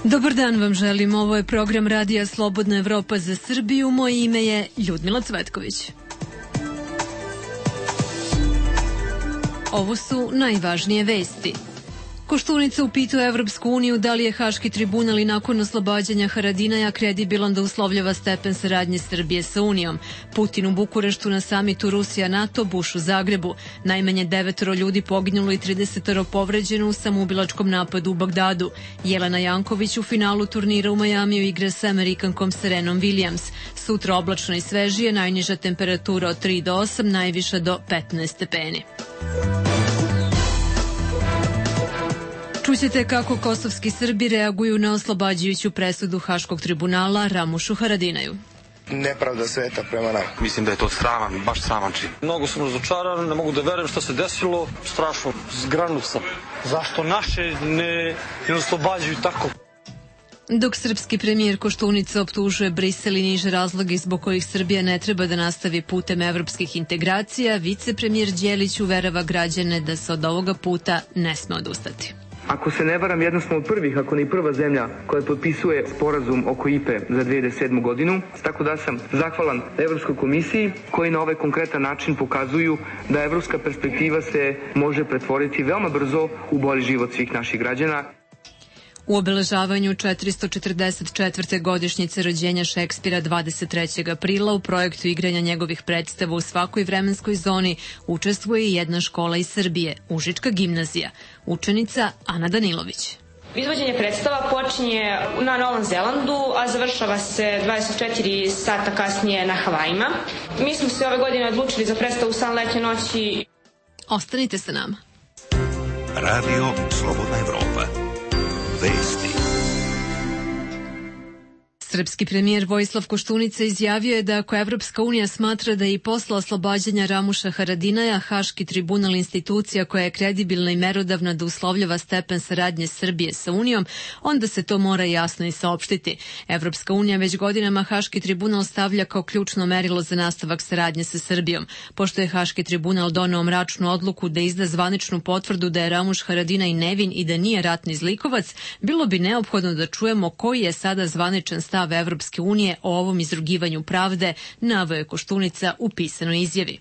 Dobar dan vam želim, ovo je program Radija Slobodna Evropa za Srbiju, moje ime je Ljudmila Cvetković. Ovo su najvažnije vesti. Koštunica upituje Evropsku uniju da li je Haški tribunal i nakon oslobađanja Haradinaja kredibilan da uslovljava stepen saradnje Srbije sa Unijom. Putin u Bukureštu na samitu Rusija-NATO, Buš u Zagrebu. Najmanje 9 ljudi poginulo i 30 povređeno u samoubilačkom napadu u Bagdadu. Jelena Janković u finalu turnira u Majamiju igra sa Amerikankom Serenom Williams. Sutra oblačno i svežije, najniža temperatura od 3 do 8, najviša do 15 stepeni. Čućete kako kosovski Srbi reaguju na oslobađajuću presudu Haškog tribunala Ramušu Haradinaju. Nepravda sveta prema nama. Mislim da je to sraman, baš sraman čin. Mnogo sam razočaran, ne mogu da verujem šta se desilo, strašno, zgranut sam. Zašto naše ne oslobađaju tako? Dok srpski premijer Koštunica optužuje Brisel i niže razloge zbog kojih Srbija ne treba da nastavi putem evropskih integracija, vicepremijer Đelić uverava građane da se od ovoga puta ne sme odustati. Ako se ne varam, jedna smo od prvih, ako ne i prva zemlja koja potpisuje sporazum oko IPE za 2007. godinu, tako da sam zahvalan Evropskoj komisiji koji na ovaj konkretan način pokazuju da evropska perspektiva se može pretvoriti veoma brzo u bolji život svih naših građana. U obeležavanju 444. godišnjice rođenja Šekspira 23. aprila u projektu igranja njegovih predstava u svakoj vremenskoj zoni učestvuje i jedna škola iz Srbije, Užička gimnazija. Učenica Ana Danilović. Izvođenje predstava počinje na Novom Zelandu, a završava se 24 sata kasnije na Havajima. Mi smo se ove godine odlučili za predstavu San letnje noći. Ostanite sa nama. Radio Slobodna Evropa. Vesti. Srpski premijer Vojislav Koštunica izjavio je da ako Evropska unija smatra da je i posle oslobađanja Ramuša Haradinaja Haški tribunal institucija koja je kredibilna i merodavna da uslovljava stepen saradnje Srbije sa Unijom, onda se to mora jasno i saopštiti. Evropska unija već godinama Haški tribunal stavlja kao ključno merilo za nastavak saradnje sa Srbijom. Pošto je Haški tribunal doneo mračnu odluku da izda zvaničnu potvrdu da je Ramuš Haradinaj nevin i da nije ratni zlikovac, bilo bi neophodno da čujemo koji je sada zvaničan stav Evropske unije o ovom izrugivanju pravde, naveo je Koštunica u pisanoj izjavi.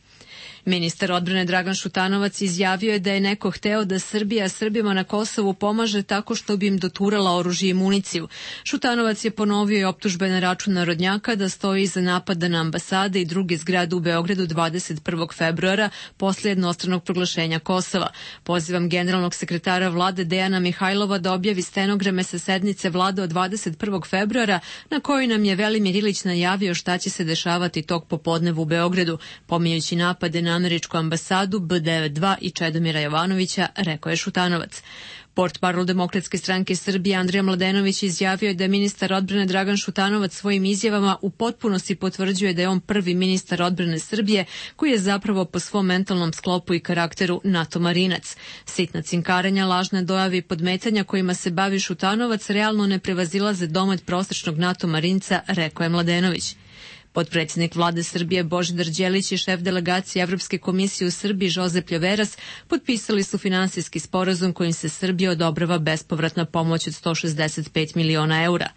Ministar odbrane Dragan Šutanovac izjavio je da je neko hteo da Srbija Srbima na Kosovu pomaže tako što bi im doturala oružje i municiju. Šutanovac je ponovio i optužbe na račun narodnjaka da stoji iza napada na ambasade i druge zgrade u Beogradu 21. februara posle jednostranog proglašenja Kosova. Pozivam generalnog sekretara vlade Dejana Mihajlova da objavi stenograme sa sednice vlade od 21. februara na kojoj nam je Velimir Ilić najavio šta će se dešavati tog popodneva u Beogradu, pominjući napade na američku ambasadu B92 i Čedomira Jovanovića, rekao je Šutanovac. Portparol Demokratske stranke Srbije Andrija Mladenović izjavio je da ministar odbrane Dragan Šutanovac svojim izjavama u potpunosti potvrđuje da je on prvi ministar odbrane Srbije koji je zapravo po svom mentalnom sklopu i karakteru NATO marinac. Sitna cinkarenja, lažne dojave i podmetanja kojima se bavi Šutanovac realno ne prevazilaze domet prosečnog NATO marinca, rekao je Mladenović. Potpredsjednik vlade Srbije Božidar Đelić i šef delegacije Evropske komisije u Srbiji Žozep Ljoveras potpisali su finansijski sporazum kojim se Srbiji odobrava bespovratna pomoć od 165 miliona eura.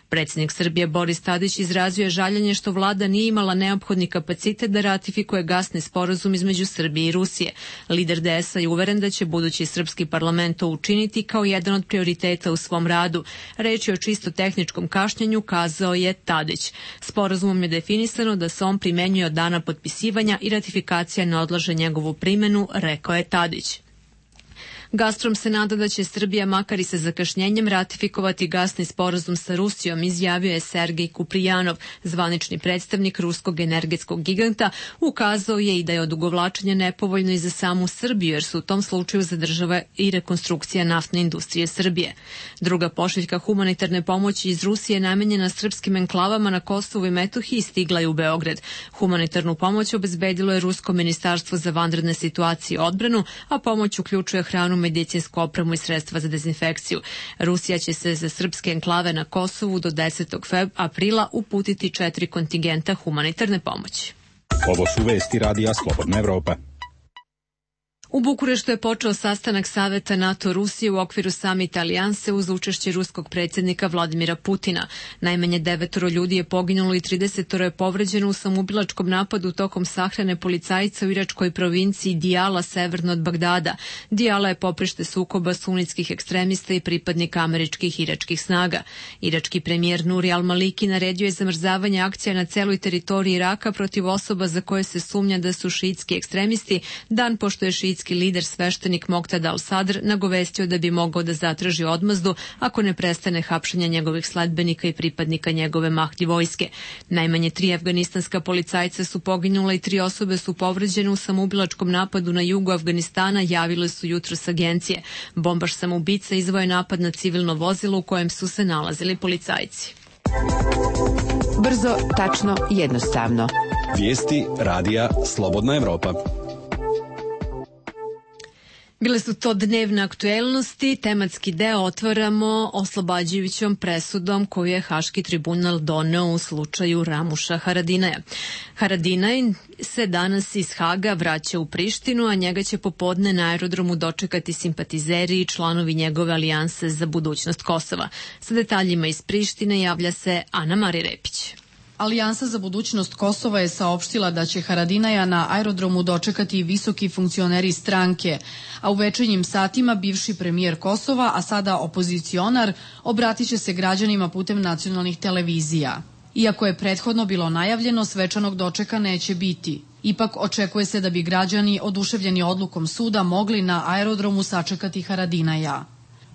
Predsjednik Srbije Boris Tadić izrazio je žaljenje što vlada nije imala neophodni kapacitet da ratifikuje gasni sporazum između Srbije i Rusije. Lider DS-a je uveren da će budući srpski parlament to učiniti kao jedan od prioriteta u svom radu. Reč je o čisto tehničkom kašnjenju, kazao je Tadić. Sporazumom je definisano da se on primenjuje od dana potpisivanja i ratifikacija ne odlaže njegovu primenu, rekao je Tadić. Gazprom se nada da će Srbija makar i sa zakašnjenjem ratifikovati gasni sporazum sa Rusijom, izjavio je Sergej Kuprijanov, zvanični predstavnik ruskog energetskog giganta. Ukazao je i da je odugovlačenje nepovoljno i za samu Srbiju, jer su u tom slučaju zadržava i rekonstrukcija naftne industrije Srbije. Druga pošiljka humanitarne pomoći iz Rusije namenjena srpskim enklavama na Kosovu i Metohiji stigla je u Beograd. Humanitarnu pomoć obezbedilo je Rusko ministarstvo za vanredne situacije i odbranu, a pomoć uključuje hranu, medicinsku opremu i sredstva za dezinfekciju. Rusija će se za srpske enklave na Kosovu do 10. aprila uputiti 4 kontingenta humanitarne pomoći. Ovo su vesti Radija Slobodna Evropa. U Bukureštu je počeo sastanak Saveta NATO-Rusije u okviru samita Alijanse uz učešće ruskog predsjednika Vladimira Putina. Najmanje 9 ljudi je poginulo i 30 je povređeno u samoubilačkom napadu tokom sahrane policajca u iračkoj provinciji Dijala severno od Bagdada. Dijala je poprište sukoba sunitskih ekstremista i pripadnika američkih i iračkih snaga. Irački premijer Nuri al-Maliki naredio je zamrzavanje akcija na celoj teritoriji Iraka protiv osoba za koje se sumnja da su šiitski ekstremisti, dan pošto je šiitski lider sveštenik Moqtada al-Sadr nagovestio da bi mogao da zatraži odmazdu ako ne prestane hapšenje njegovih sledbenika i pripadnika njegove Mahdi vojske. Najmanje 3 afganistanska policajca su poginula i 3 osobe su povređene u samoubilačkom napadu na jugu Afganistana, javile su jutros agencije. Bombaš samoubica izveo je napad na civilno vozilo u kojem su se nalazili policajci. Brzo, tačno, jednostavno. Vijesti radija Slobodna Evropa. Bile su to dnevne aktuelnosti. Tematski deo otvaramo oslobađajućom presudom koju je Haški tribunal doneo u slučaju Ramuša Haradinaja. Haradinaj se danas iz Haga vraća u Prištinu, a njega će popodne na aerodromu dočekati simpatizeri i članovi njegove alijanse za budućnost Kosova. Sa detaljima iz Prištine javlja se Ana Marija Repić. Alijansa za budućnost Kosova je saopštila da će Haradinaja na aerodromu dočekati visoki funkcioneri stranke, a u večernjim satima bivši premijer Kosova, a sada opozicionar, obratit će se građanima putem nacionalnih televizija. Iako je prethodno bilo najavljeno, svečanog dočeka neće biti. Ipak očekuje se da bi građani, oduševljeni odlukom suda, mogli na aerodromu sačekati Haradinaja.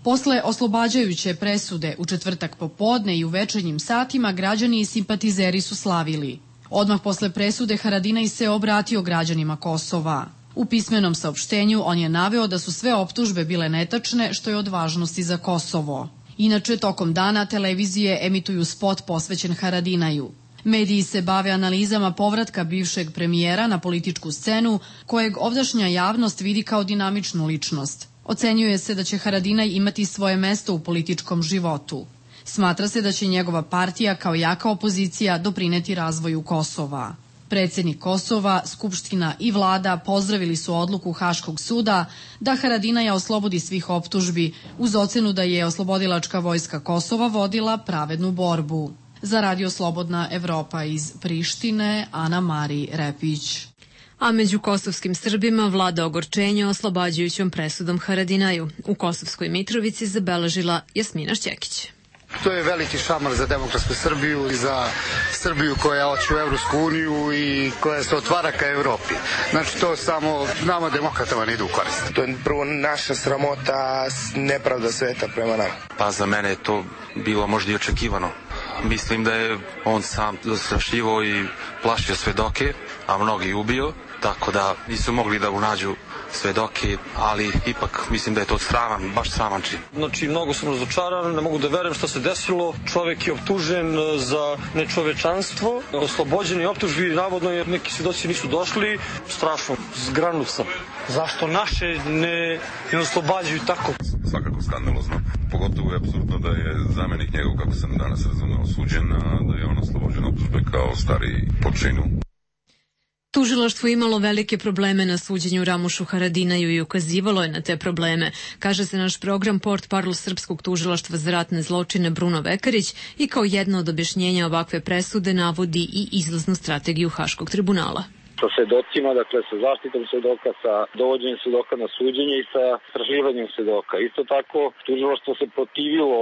Posle oslobađajuće presude u četvrtak popodne i u večernjim satima građani i simpatizeri su slavili. Odmah posle presude Haradinaj se obratio građanima Kosova. U pismenom saopštenju on je naveo da su sve optužbe bile netačne, što je od važnosti za Kosovo. Inače, tokom dana televizije emituju spot posvećen Haradinaju. Mediji se bave analizama povratka bivšeg premijera na političku scenu, kojeg ovdašnja javnost vidi kao dinamičnu ličnost. Ocenjuje se da će Haradinaj imati svoje mesto u političkom životu. Smatra se da će njegova partija kao jaka opozicija doprineti razvoju Kosova. Predsjednik Kosova, Skupština i vlada pozdravili su odluku Haškog suda da Haradinaja oslobodi svih optužbi, uz ocenu da je oslobodilačka vojska Kosova vodila pravednu borbu. Za Radio Slobodna Evropa iz Prištine, Ana Marija Repić. A među kosovskim Srbima vlada ogorčenje oslobađajućom presudom Haradinaju. U Kosovskoj Mitrovici zabeležila Jasmina Šćekić. To je veliki šamar za demokratsku Srbiju i za Srbiju koja hoće u Evropsku uniju i koja se otvara ka Evropi. Znači to samo nama demokratama ne ide u korist. To je prvo naša sramota, nepravda sveta prema nama. Pa za mene je to bilo možda i očekivano. Mislim da je on sam zastrašivao i plašio svedoke, a mnogi ubio, tako da nisu mogli da unađu svedoke, ali ipak mislim da je to sraman, baš sraman čin. Znači, mnogo sam razočaran, ne mogu da verujem šta se desilo. Čovek je optužen za nečovečanstvo, oslobođeni optužbi, navodno jer neki svedoci nisu došli. Strašno, zgranut sam. Zašto naše ne oslobađaju tako? Svakako skandalozno. Pogotovo je apsurdno da je zamenik njegov, kako sam danas razumeo, osuđen, a da je on oslobođen optužbe kao stari po činu. Tužilaštvo imalo velike probleme na suđenju Ramušu Haradinaju i ukazivalo je na te probleme, kaže se naš program Portparol Srpskog tužilaštva za ratne zločine Bruno Vekarić i kao jedno od objašnjenja ovakve presude navodi i izlaznu strategiju Haškog tribunala. Sa svedocima, dakle sa zaštitom svedoka, sa dovođenjem svedoka na suđenje i sa istraživanjem svedoka. Isto tako, tužilaštvo se protivilo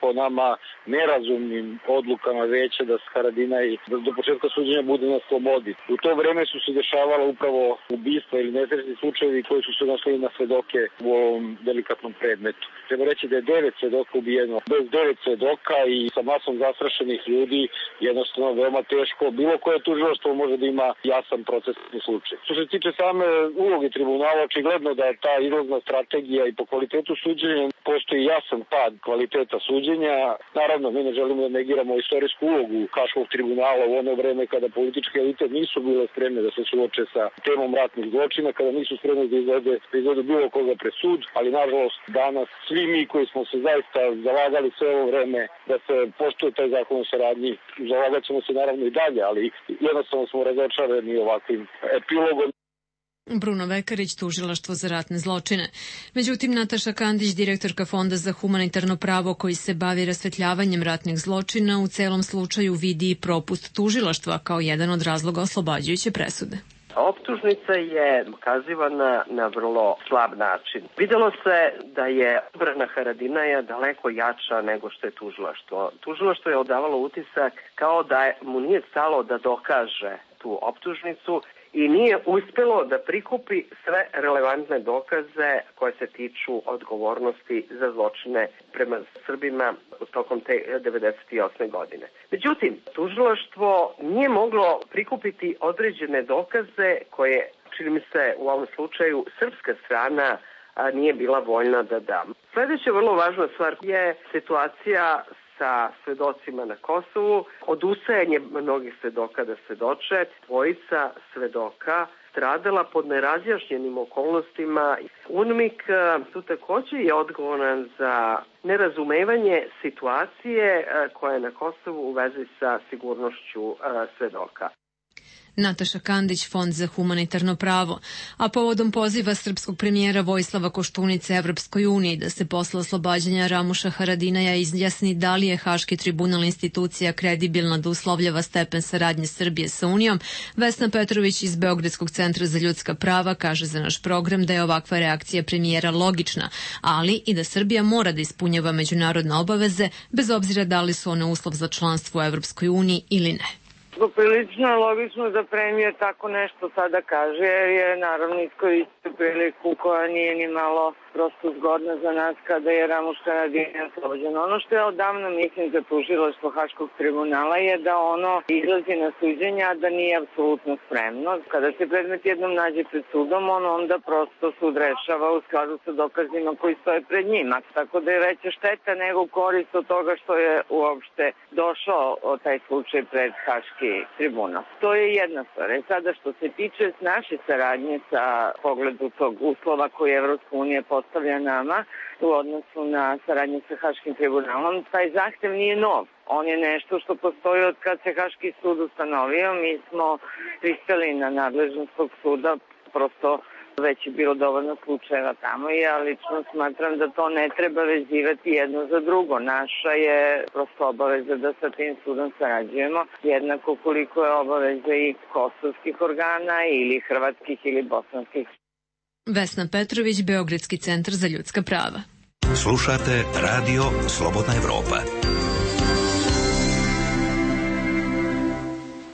po nama nerazumnim odlukama veća da Haradinaj do početka suđenja bude na slobodi. U to vreme su se dešavala upravo ubistva ili nesrećni slučajevi koji su se nosili na svedoke u ovom delikatnom predmetu. Treba reći da je 9 svedoka ubijeno. Bez 9 svedoka i sa masom zastrašenih ljudi jednostavno veoma teško. Bilo koje tužilaštvo može da ima jasan procesni slučaj. Što se tiče same uloge tribunala, očigledno da je ta izlazna strategija i po kvalitetu suđenja postoji jasan pad kvaliteta suđenja. Naravno, mi ne želimo da negiramo istorijsku ulogu Haškog tribunala u ono vreme kada političke elite nisu bile spremne da se suoče sa temom ratnih zločina, kada nisu spremne da izvedu bilo koga pred sud, ali nažalost danas svi mi koji smo se zaista zalagali sve ovo vreme da se poštuje taj zakon o saradnji, zalagat ćemo se naravno i dalje, ali jednostavno smo razočarani ovakvim epilogom. Bruno Vekarić, Tužilaštvo za ratne zločine. Međutim, Nataša Kandić, direktorka Fonda za humanitarno pravo koji se bavi rasvetljavanjem ratnih zločina, u celom slučaju vidi i propust tužilaštva kao jedan od razloga oslobađajuće presude. Optužnica je ukazivana na vrlo slab način. Videlo se da je odbrana Haradinaja daleko jača nego što je tužilaštvo. Tužilaštvo je odavalo utisak kao da mu nije stalo da dokaže tu optužnicu i nije uspelo da prikupi sve relevantne dokaze koje se tiču odgovornosti za zločine prema Srbima tokom te 98. godine. Međutim, tužilaštvo nije moglo prikupiti određene dokaze koje, čini mi se u ovom slučaju, srpska strana nije bila voljna da da. Sledeća vrlo važna stvar je situacija sa svedocima na Kosovu, odustajanje mnogih svedoka da svedoče, dvojica svedoka stradala pod nerazjašnjenim okolnostima. UNMIK tu takođe je odgovoran za nerazumevanje situacije koja je na Kosovu u vezi sa sigurnošću svedoka. Nataša Kandić, Fond za humanitarno pravo, a povodom poziva srpskog premijera Vojislava Koštunice Evropskoj uniji da se posle oslobađanja Ramuša Haradinaja izjasni da li je Haški tribunal institucija kredibilna da uslovljava stepen saradnje Srbije sa Unijom, Vesna Petrović iz Beogradskog centra za ljudska prava kaže za naš program da je ovakva reakcija premijera logična, ali i da Srbija mora da ispunjava međunarodne obaveze bez obzira da li su one uslov za članstvo u Evropskoj uniji ili ne. Poprilično je logično da premijer tako nešto sada kaže, jer je naravno iskoristio priliku koja nije ni malo prosto zgodna za nas kada je Ramuš Haradinaj oslobođen. Ono što ja odavno mislim za tužilaštvo Haškog tribunala je da ono izlazi na suđenja, a da nije apsolutno spremno. Kada se predmet jednom nađe pred sudom, on onda prosto sud rešava u skladu sa dokazima koji stoje pred njima. Tako da je veća šteta nego korist od toga što je uopšte došao taj slučaj pred Haški tribunal. To je jedna stvar. Sada što se tiče naše saradnje sa pogledu tog uslova koji Evropska unija postavlja nama u odnosu na saradnju sa Haškim tribunalom, taj zahtev nije nov. On je nešto što postoji od kad se Haški sud ustanovio. Mi smo pristali na nadležnost tog suda, prosto već je bilo dovoljno slučajeva tamo i ja lično smatram da to ne treba vezivati jedno za drugo. Naša je prosto obaveza da sa tim sudom sarađujemo, jednako koliko je obaveza i kosovskih organa ili hrvatskih ili bosanskih. Vesna Petrović, Beogradski centar za ljudska prava. Slušate Radio Slobodna Evropa.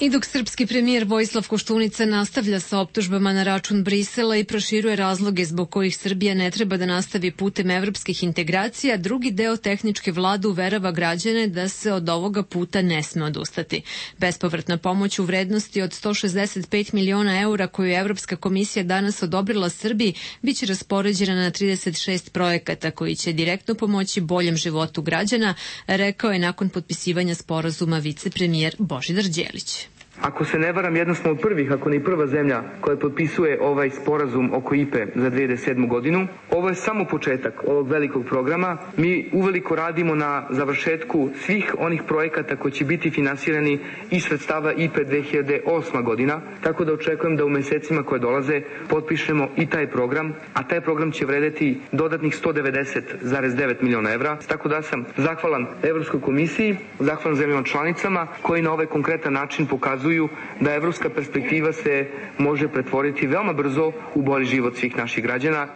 I dok srpski premijer Vojislav Koštunica nastavlja sa optužbama na račun Brisela i proširuje razloge zbog kojih Srbija ne treba da nastavi putem evropskih integracija, drugi deo tehničke vlade uverava građane da se od ovoga puta ne sme odustati. Bespovratna pomoć u vrednosti od 165 miliona eura koju je Evropska komisija danas odobrila Srbiji biće raspoređena na 36 projekata koji će direktno pomoći boljem životu građana, rekao je nakon potpisivanja sporazuma vicepremijer Božidar Đelić. Ako se ne varam, jedna smo od prvih, ako ne i prva zemlja koja potpisuje ovaj sporazum oko IPE za 2007. godinu. Ovo je samo početak ovog velikog programa. Mi uveliko radimo na završetku svih onih projekata koji će biti finansirani iz sredstava IPE 2008. godina, tako da očekujem da u mesecima koje dolaze potpišemo i taj program, a taj program će vredeti dodatnih 190,9 miliona evra, tako da sam zahvalan Evropskoj komisiji, zahvalan zemljama članicama koji na ovaj konkretan način pokazuju da evropska perspektiva se može pretvoriti veoma brzo u bolji život svih naših građana.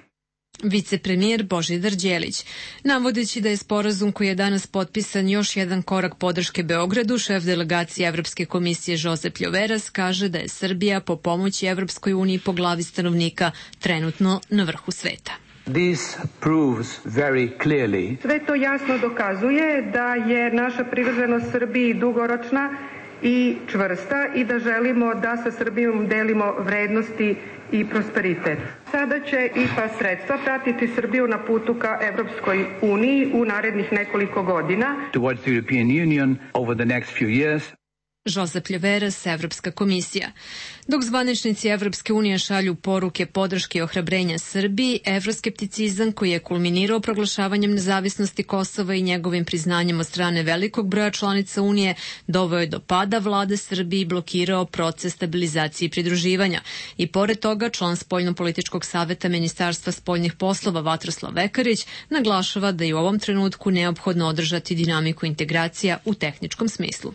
Vicepremijer Božidar Đelić. Navodeći da je sporazum koji je danas potpisan još jedan korak podrške Beogradu, šef delegacije Evropske komisije Josep Ljoveras kaže da je Srbija po pomoći Evropskoj uniji po glavi stanovnika trenutno na vrhu sveta. Sve to jasno dokazuje da je naša privrženost Srbiji dugoročna i čvrsta i da želimo da sa Srbijom delimo vrednosti i prosperitet. Sada će IPA sredstva pratiti Srbiju na putu ka Evropskoj uniji u narednih nekoliko godina. Josep Ljeveras, Evropska komisija. Dok zvaničnici Evropske unije šalju poruke podrške i ohrabrenja Srbiji, evroskepticizam koji je kulminirao proglašavanjem nezavisnosti Kosova i njegovim priznanjem od strane velikog broja članica Unije doveo je do pada vlade Srbije i blokirao proces stabilizacije i pridruživanja. I pored toga, član Spoljno-političkog saveta Ministarstva spoljnih poslova Vatroslav Vekarić naglašava da je u ovom trenutku neophodno održati dinamiku integracija u tehničkom smislu.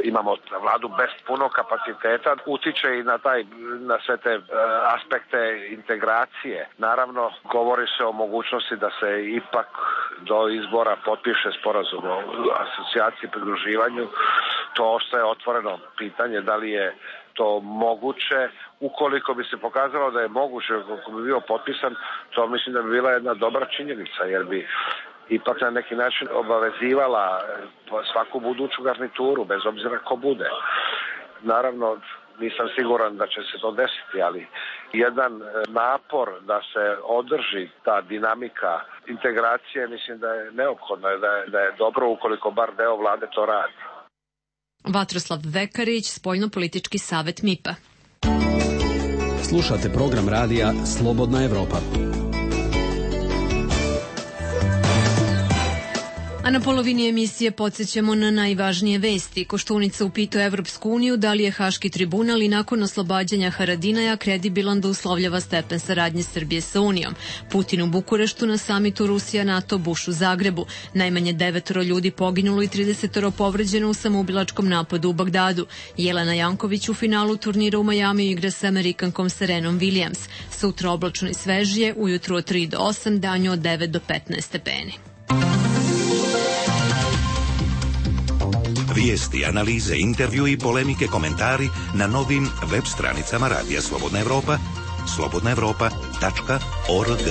Imamo vladu bez punog kapaciteta, utiče i na sve te aspekte integracije. Naravno, govori se o mogućnosti da se ipak do izbora potpiše sporazum o asocijaciji i pridruživanju. To ostaje otvoreno pitanje da li je to moguće. Ukoliko bi se pokazalo da je moguće, ako bi bio potpisan, to mislim da bi bila jedna dobra činjenica, jer bi ipak na neki način obavezivala svaku buduću garnituru, bez obzira ko bude. Naravno, nisam siguran da će se to desiti, ali jedan napor da se održi ta dinamika integracije, mislim da je neophodno, da je dobro ukoliko bar deo vlade to radi. Vatroslav Vekarić, Spoljno-politički savet MIPA. Slušate program radija Slobodna Evropa. A na polovini emisije podsjećamo na najvažnije vesti. Koštunica upitao Evropsku uniju da li je Haški tribunal i nakon oslobađanja Haradinaja kredibilan da uslovljava stepen saradnje Srbije sa Unijom. Putin u Bukureštu na samitu Rusija-NATO, Bush u Zagrebu. Najmanje 9 ljudi poginulo i 30 povređeno u samoubilačkom napadu u Bagdadu. Jelena Janković u finalu turnira u Majamiju igra sa Amerikankom Serenom Williams. Sutra oblačno i svežije, ujutru od 3 do 8, danju od 9 do 15 stepeni. Vijesti, analize, intervju i polemike, komentari na novim web stranicama Radija Slobodna Evropa, slobodnaevropa.org.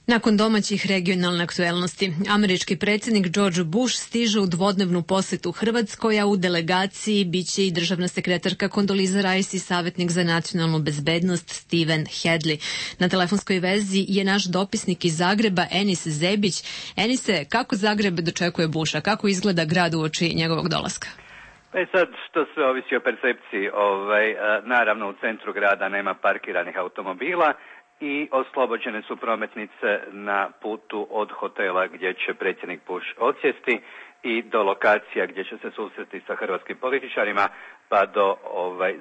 Nakon domaćih regionalne aktuelnosti, američki predsjednik George Bush stiže u dvodnevnu posetu Hrvatskoj, a u delegaciji biće i državna sekretarka Kondoliza Rice i savjetnik za nacionalnu bezbednost Steven Hedley. Na telefonskoj vezi je naš dopisnik iz Zagreba, Enis Zebić. Enise, kako Zagreb dočekuje Busha? Kako izgleda grad uoči njegovog dolaska? Sad, to sve ovisi o percepciji. Naravno, u centru grada nema parkiranih automobila i oslobođene su prometnice na putu od hotela gdje će predsjednik Bush odsjesti i do lokacija gdje će se susreti sa hrvatskim političarima pa do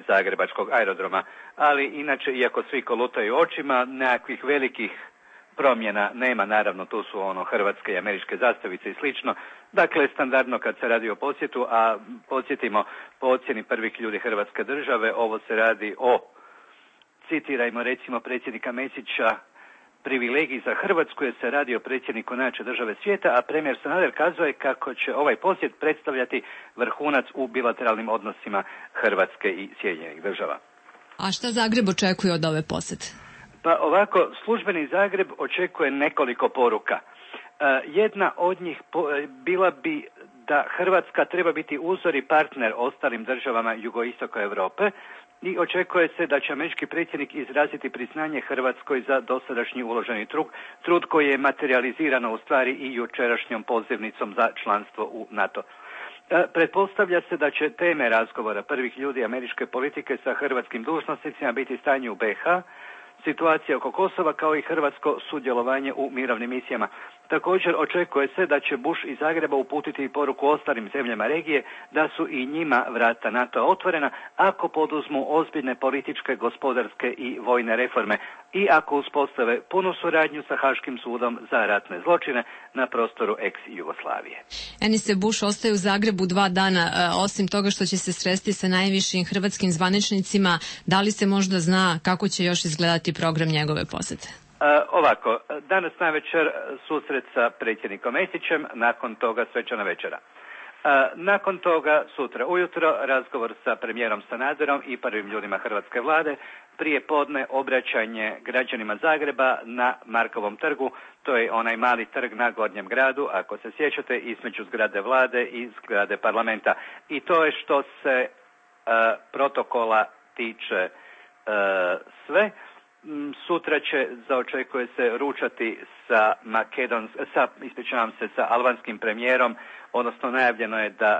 zagrebačkog aerodroma. Ali inače, iako svi kolutaju očima, nekakvih velikih promjena nema. Naravno, tu su hrvatske i američke zastavice i slično. Dakle, standardno kad se radi o posjetu, a podsjetimo, po ocjeni prvih ljudi Hrvatske države, ovo se radi o, citirajmo recimo predsjednika Mesića, privilegiji za Hrvatsku, jer se radi o predsjedniku najjače države svijeta, a premijer Sanader kazuje kako će ovaj posjet predstavljati vrhunac u bilateralnim odnosima Hrvatske i Sjedinjenih država. A šta Zagreb očekuje od ove posjete? Pa ovako, službeni Zagreb očekuje nekoliko poruka. Jedna od njih bila bi da Hrvatska treba biti uzor i partner ostalim državama jugoistoka Europe i očekuje se da će američki predsjednik izraziti priznanje Hrvatskoj za dosadašnji uloženi trud koji je materializirano u stvari i jučerašnjom pozivnicom za članstvo u NATO. Pretpostavlja se da će teme razgovora prvih ljudi američke politike sa hrvatskim dužnosnicima biti stanje u BiH, situacija oko Kosova kao i hrvatsko sudjelovanje u mirovnim misijama. Također očekuje se da će Bush iz Zagreba uputiti poruku ostalim zemljama regije da su i njima vrata NATO otvorena ako poduzmu ozbiljne političke, gospodarske i vojne reforme i ako uspostave punu suradnju sa Haškim sudom za ratne zločine na prostoru ex-Jugoslavije. Enise, Bush ostaje u Zagrebu 2 dana. Osim toga što će se sresti sa najvišim hrvatskim zvaničnicima, da li se možda zna kako će još izgledati program njegove posete? Ovako, danas navečer susret sa predsjednikom Mesićem, nakon toga svečana večera. Nakon toga, sutra ujutro, razgovor sa premijerom Sanaderom i prvim ljudima hrvatske vlade, prije podne obraćanje građanima Zagreba na Markovom trgu, to je onaj mali trg na Gornjem gradu, ako se sjećate, između zgrade vlade i zgrade parlamenta. I to je što se protokola tiče sve. Sutra očekuje se ručati sa albanskim premijerom, odnosno najavljeno je da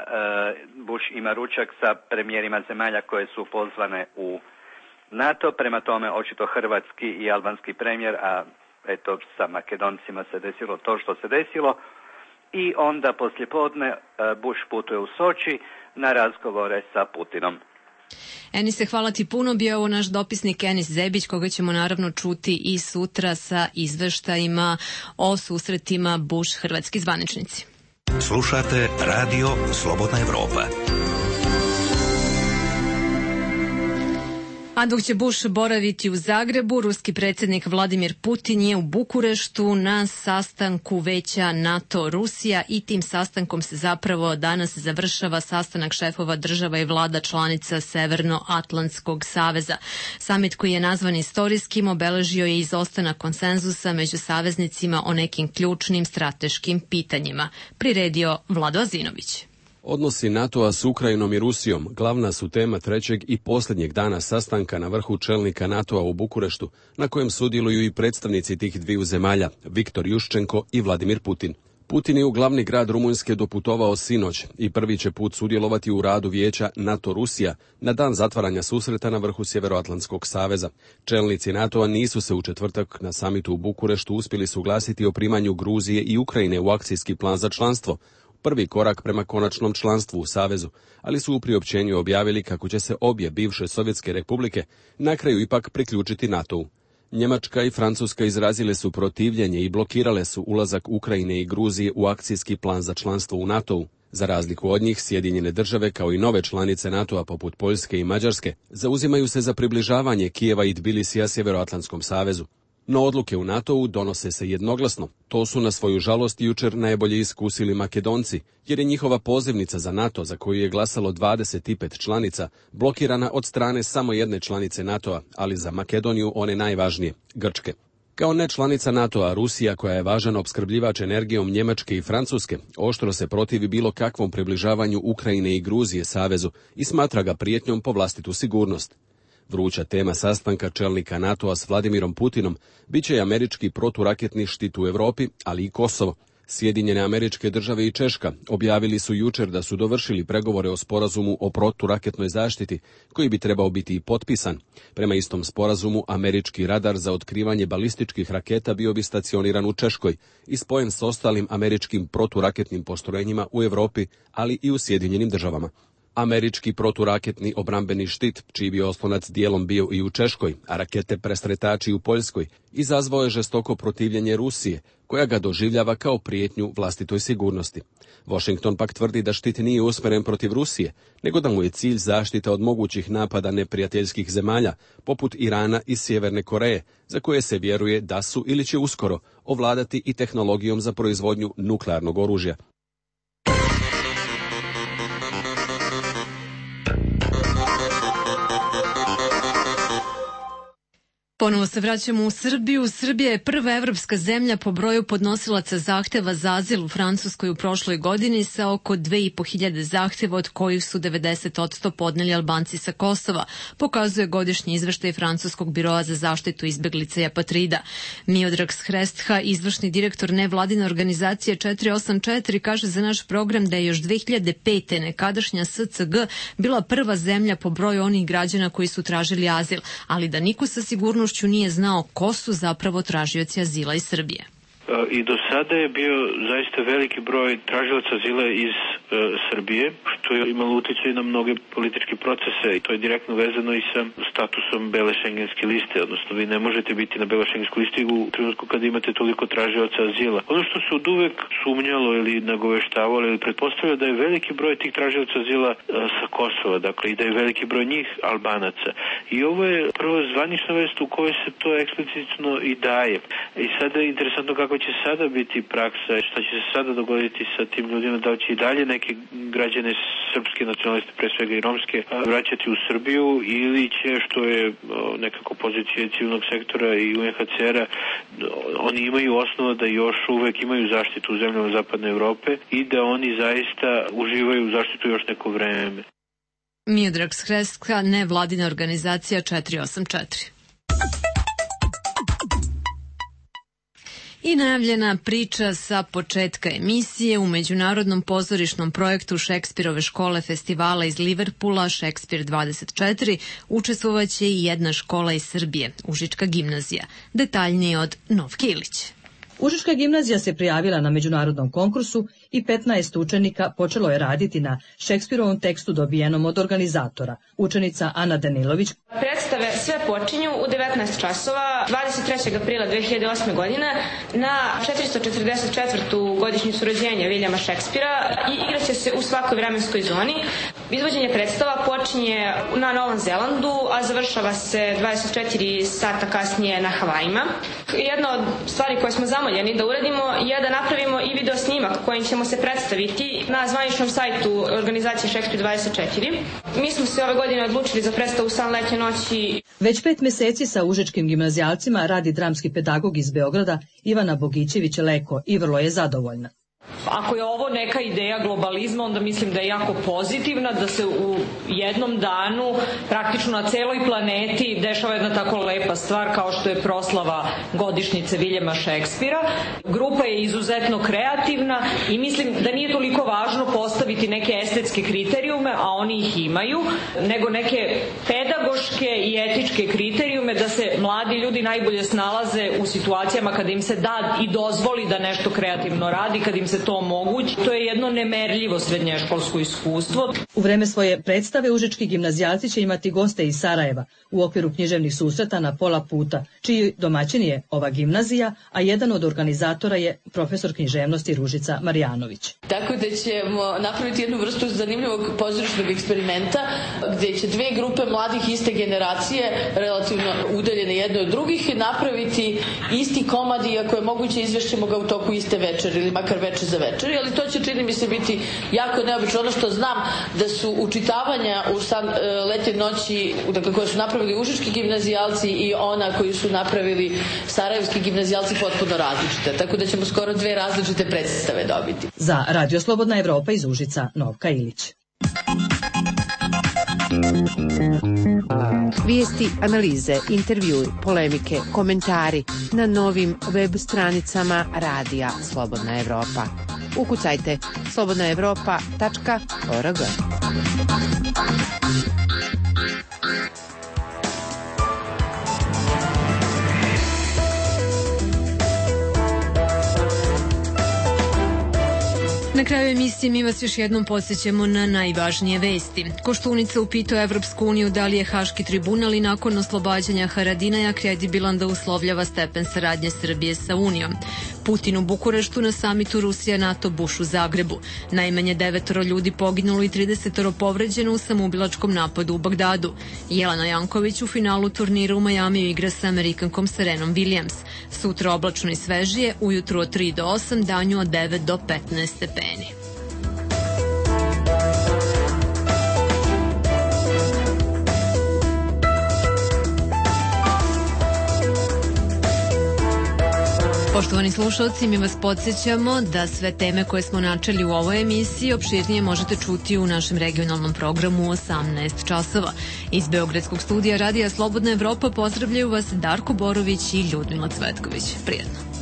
Bush ima ručak sa premijerima zemalja koje su pozvane u NATO, prema tome očito hrvatski i albanski premijer, a eto sa Makedoncima se desilo to što se desilo. I onda poslijepodne Bush putuje u Soči na razgovore sa Putinom. Enise, hvala ti puno. Bio ovo naš dopisnik Enis Zebić, koga ćemo naravno čuti i sutra sa izveštajima o susretima Bush-hrvatski zvaničnici. Slušate Radio Slobodna Evropa. A dok će Bush boraviti u Zagrebu, ruski predsjednik Vladimir Putin je u Bukureštu na sastanku Veća NATO-Rusija i tim sastankom se zapravo danas završava sastanak šefova država i vlada članica Severnoatlantskog saveza. Samit koji je nazvan istorijskim obeležio je izostanak konsenzusa među saveznicima o nekim ključnim strateškim pitanjima. Priredio Vlado Azinović. Odnosi NATO-a s Ukrajinom i Rusijom glavna su tema trećeg i posljednjeg dana sastanka na vrhu čelnika NATO-a u Bukureštu, na kojem sudjeluju i predstavnici tih dviju zemalja, Viktor Juščenko i Vladimir Putin. Putin je u glavni grad Rumunjske doputovao sinoć i prvi će put sudjelovati u radu vijeća NATO-Rusija na dan zatvaranja susreta na vrhu Sjeveroatlantskog saveza. Čelnici NATO-a nisu se u četvrtak na samitu u Bukureštu uspjeli suglasiti o primanju Gruzije i Ukrajine u akcijski plan za članstvo, prvi korak prema konačnom članstvu u savezu, ali su u priopćenju objavili kako će se obje bivše sovjetske republike na kraju ipak priključiti NATO-u. Njemačka i Francuska izrazile su protivljenje i blokirale su ulazak Ukrajine i Gruzije u akcijski plan za članstvo u NATO-u. Za razliku od njih, Sjedinjene države kao i nove članice NATO-a poput Poljske i Mađarske zauzimaju se za približavanje Kijeva i Tbilisija Sjeveroatlantskom savezu. No odluke u NATO-u donose se jednoglasno. To su na svoju žalost jučer najbolje iskusili Makedonci, jer je njihova pozivnica za NATO, za koju je glasalo 25 članica, blokirana od strane samo jedne članice NATO-a, ali za Makedoniju one najvažnije, Grčke. Kao ne članica NATO-a, Rusija, koja je važan opskrbljivač energijom Njemačke i Francuske, oštro se protivi bilo kakvom približavanju Ukrajine i Gruzije savezu i smatra ga prijetnjom po vlastitu sigurnost. Vruća tema sastanka čelnika NATO-a s Vladimirom Putinom bit će i američki proturaketni štit u Europi, ali i Kosovo. Sjedinjene Američke Države i Češka objavili su jučer da su dovršili pregovore o sporazumu o proturaketnoj zaštiti, koji bi trebao biti i potpisan. Prema istom sporazumu, američki radar za otkrivanje balističkih raketa bio bi stacioniran u Češkoj i spojen s ostalim američkim proturaketnim postrojenjima u Europi, ali i u Sjedinjenim Državama. Američki proturaketni obrambeni štit, čiji bi oslonac dijelom bio i u Češkoj, a rakete presretači u Poljskoj, izazvao je žestoko protivljenje Rusije, koja ga doživljava kao prijetnju vlastitoj sigurnosti. Washington pak tvrdi da štit nije usmjeren protiv Rusije, nego da mu je cilj zaštita od mogućih napada neprijateljskih zemalja, poput Irana i Sjeverne Koreje, za koje se vjeruje da su ili će uskoro ovladati i tehnologijom za proizvodnju nuklearnog oružja. Ponovo se vraćamo u Srbiju. Srbija je prva evropska zemlja po broju podnosilaca zahteva za azil u Francuskoj u prošloj godini sa oko 2.500 zahteva, od kojih su 90% podneli Albanci sa Kosova, pokazuje godišnji izveštaj Francuskog biroa za zaštitu izbeglica i apatrida. Miodrag Shrestha, izvršni direktor nevladine organizacije 484, kaže za naš program da je još 2005. nekadašnja SCG bila prva zemlja po broju onih građana koji su tražili azil, ali da niko sa sigurnošću nije znao ko su zapravo tražioci azila iz Srbije. I do sada je bio zaista veliki broj tražilaca azila iz Srbije, što je imalo utjecaj na mnoge političke procese i to je direktno vezano i sa statusom bele šengenske liste, odnosno vi ne možete biti na bele šengenskoj listi u trenutku kada imate toliko tražilaca azila. Ono što se od uvek sumnjalo ili nagoveštavalo ili pretpostavljalo da je veliki broj tih tražilaca azila sa Kosova, dakle i da je veliki broj njih Albanaca. I ovo je prvo zvanična vest u kojoj se to eksplicitno i daje. I sada je interesantno kako će sada biti praksa, šta će se sada dogoditi sa tim ljudima, da li će i dalje neke građane srpske nacionaliste, pre svega i romske, vraćati u Srbiju ili će, što je nekako pozicija civilnog sektora i UNHCR-a, oni imaju osnova da još uvek imaju zaštitu u zemljama Zapadne Evrope i da oni zaista uživaju zaštitu još neko vreme. Miodrag Shrestha, nevladina organizacija 484. I najavljena priča sa početka emisije u međunarodnom pozorišnom projektu Šekspirove škole festivala iz Liverpula Šekspir 24 učestvovaće i jedna škola iz Srbije, Užička gimnazija. Detaljnije od Novke Ilić. Užička gimnazija se prijavila na međunarodnom konkursu i 15 učenika počelo je raditi na Šekspirovom tekstu dobijenom od organizatora. Učenica Ana Danilović. Predstave sve počinju u 19 časova 23. aprila 2008. godine na 444. godišnjicu rođenja Viljama Šekspira i igraće se u svakoj vremenskoj zoni. Izvođenje predstava počinje na Novom Zelandu, a završava se 24 sata kasnije na Havajima. Jedna od stvari koje smo zamoljeni da uradimo je da napravimo i video snimak kojim ćemo se predstaviti na zvaničnom sajtu organizacije Šekspir 24. Mi smo se ove godine odlučili za predstavu San letnje noći. Već 5 meseci sa užičkim gimnazijalcima radi dramski pedagog iz Beograda Ivana Bogićević-Leko i vrlo je zadovoljna. Ako je ovo neka ideja globalizma, onda mislim da je jako pozitivna, da se u jednom danu praktično na celoj planeti dešava jedna tako lepa stvar kao što je proslava godišnjice Viljama Šekspira. Grupa je izuzetno kreativna i mislim da nije toliko važno postaviti neke estetske kriterijume, a oni ih imaju, nego neke pedagoške i etičke kriterijume da se mladi ljudi najbolje snalaze u situacijama kada im se da i dozvoli da nešto kreativno radi, kada im se to omogući. To je jedno nemerljivo srednješkolsko iskustvo. U vreme svoje predstave užički gimnazijalci će imati goste iz Sarajeva u okviru književnih susreta na pola puta, čiji domaćin je ova gimnazija, a jedan od organizatora je profesor književnosti Ružica Marjanović. Tako da ćemo napraviti jednu vrstu zanimljivog pozorišnog eksperimenta gdje će dve grupe mladih iste generacije, relativno udaljene jedne od drugih, napraviti isti komad, iako je moguće izvešćemo ga u toku iste večeri ili makar večer za večeri, ali to će, čini mi se, biti jako neobično. Ono što znam da su učitavanja u San letnje noći, dakle, koje su napravili užički gimnazijalci i ona koju su napravili sarajevski gimnazijalci potpuno različite. Tako da ćemo skoro dve različite predstave dobiti. Za Radio Slobodna Evropa iz Užica, Novka Ilić. Vijesti, analize, intervjui, polemike, komentari na novim web stranicama Radija Slobodna Evropa. Ukucajte slobodnaevropa.org. Na kraju emisije mi vas još jednom podsjećamo na najvažnije vesti. Koštunica upitao Evropsku uniju da li je Haški tribunal i nakon oslobađanja Haradinaja kredibilan da uslovljava stepen saradnje Srbije sa Unijom. Putin u Bukureštu na samitu Rusija-NATO Buš u Zagrebu. Najmanje 9 ljudi poginulo i 30 povređeno u samoubilačkom napadu u Bagdadu. Jelena Janković u finalu turnira u Majamiju igra sa Amerikankom Serenom Williams. Sutra oblačno i svežije, ujutru od 3 do 8, danju od 9 do 15 stepeni. Poštovani slušalci, mi vas podsjećamo da sve teme koje smo načeli u ovoj emisiji opširnije možete čuti u našem regionalnom programu u 18 časova. Iz Beogradskog studija Radija Slobodna Evropa pozdravljaju vas Darko Borović i Ljudmila Cvetković. Prijetno.